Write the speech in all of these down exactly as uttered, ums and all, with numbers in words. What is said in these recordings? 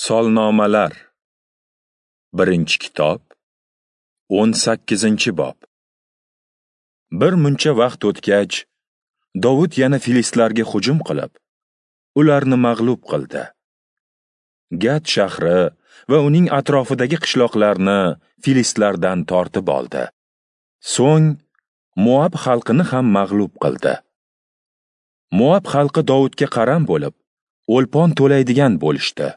Solnomalar. Birinchi kitob, o'n sakkizinchi bob. Bir muncha vaqt o'tgach, Dovud yana filistlarga hujum qilib, ularni mag'lub qildi. Gat shahri va uning atrofidagi qishloqlarni filistlardan tortib oldi. So'ng Moab xalqini ham mag'lub qildi. Moab xalqi Dovudga qaram bo'lib, o'lpon to'laydigan bo'lishdi.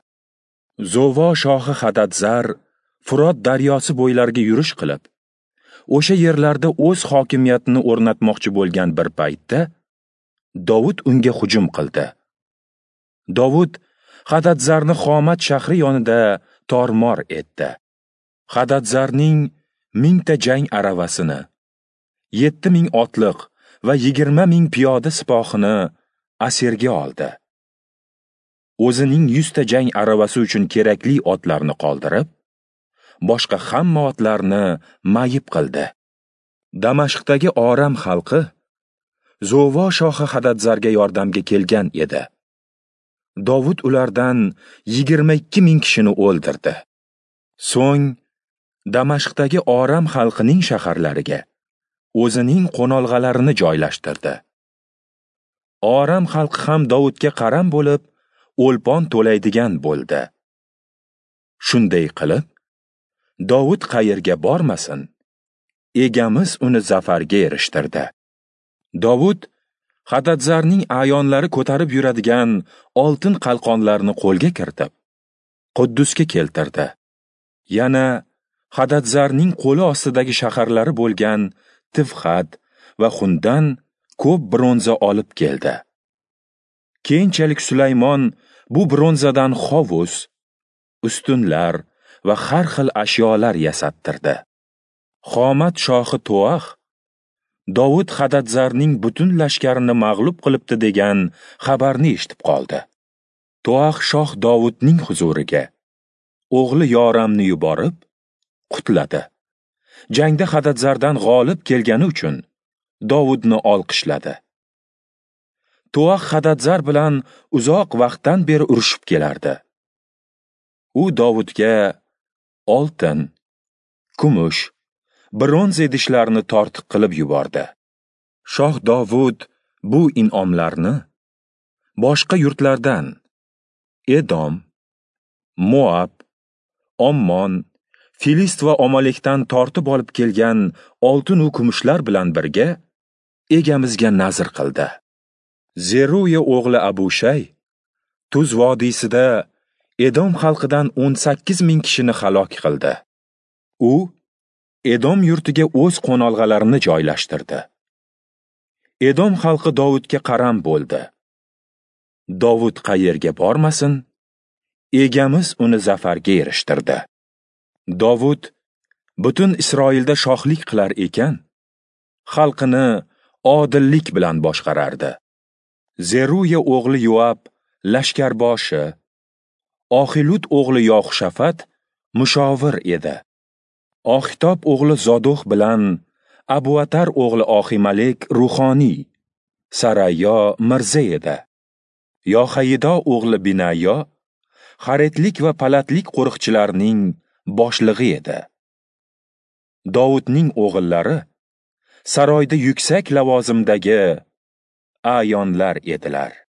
Zovo shohi Hadadzar Furot daryosi bo'ylariga yurish qilib, o'sha yerlarda o'z hokimiyatini o'rnatmoqchi bo'lgan bir paytda Dovud unga hujum qildi. Dovud Hadadzarni Xomat shahri yonida tormor etdi. Hadadzarning mingta jang aravasini, yetti ming otliq va yigirma ming piyoda sipohini asirga oldi. O'zining yuzta jang aravasi uchun kerakli otlarni qoldirib, boshqa hamma otlarni mayib qildi. Damashqdagi Oram xalqi Zovo shohi Hadadzarga yordamga kelgan edi. Dovud ulardan yigirma ikki ming kishini o'ldirdi. So'ng Damashqdagi Oram xalqining shaharlariga o'zining qo'nolg'alarini joylashtirdi. Oram xalqi ham Dovudga qaram bo'lib, o'lpon to'laydigan bo'ldi. Shunday qilib, Dovud qayerga bormasin, egamiz uni zafarga erishtirdi. Dovud Hadadzarning a'yonlari ko'tarib yuradigan oltin qalqonlarni qo'lga kiritib, Quddusga keltirdi. Yana Hadadzarning qo'li ostidagi shaharlari bo'lgan Tivxat va Xundan ko'p bronza olib keldi. Keyinchalik Sulaymon bu bronzadan hovuz, ustunlar va har xil ashyolar yasattirdi. Xomat shohi Toax Dovud Hadadzarning butun lashkarini mag'lub qilibdi degan xabarni eshitib qoldi. Toax shoh Dovudning huzuriga o'g'li Yoramni yuborib, qutladi. Jangda Hadadzardan g'olib kelgani uchun Dovudni olqishladi. Toax Hadadzar bilan uzoq vaqtdan beri urushib kelardi. U Dovudga oltin, kumush, bronza idishlarni tortiq qilib yubordi. Shoh Dovud bu in'omlarni boshqa yurtlardan Edom, Moab, Ommon, Filist va Omalekdan tortib olib kelgan oltin u kumushlar bilan birga egamizga nazr qildi. Zeruya o'g'li Abushay Tuz vodiysida Edom xalqidan o'n sakkiz ming kishini halok qildi. U Edom yurtiga o'z qo'nolg'alarini joylashtirdi. Edom xalqi Dovudga qaram bo'ldi. Dovud qayerga bormasin, egamiz uni zafarga erishtirdi. Dovud butun Isroilda shohlik qilar ekan, xalqini odillik bilan boshqarardi. Zeruya o'g'li Yoab lashkarboshi, Oxilud o'g'li Yoxshafat mushovir edi. Oxitob o'g'li Zodoq bilan Abuatar o'g'li Oximalek ruhoniy, Sarayo mirza edi. Yohayido o'g'li Binayo Xaretlik va Palatlik qo'riqchilarning boshlig'i edi. Dovudning o'g'illari saroyda yuksak lavozimdagi a'yonlar edilar.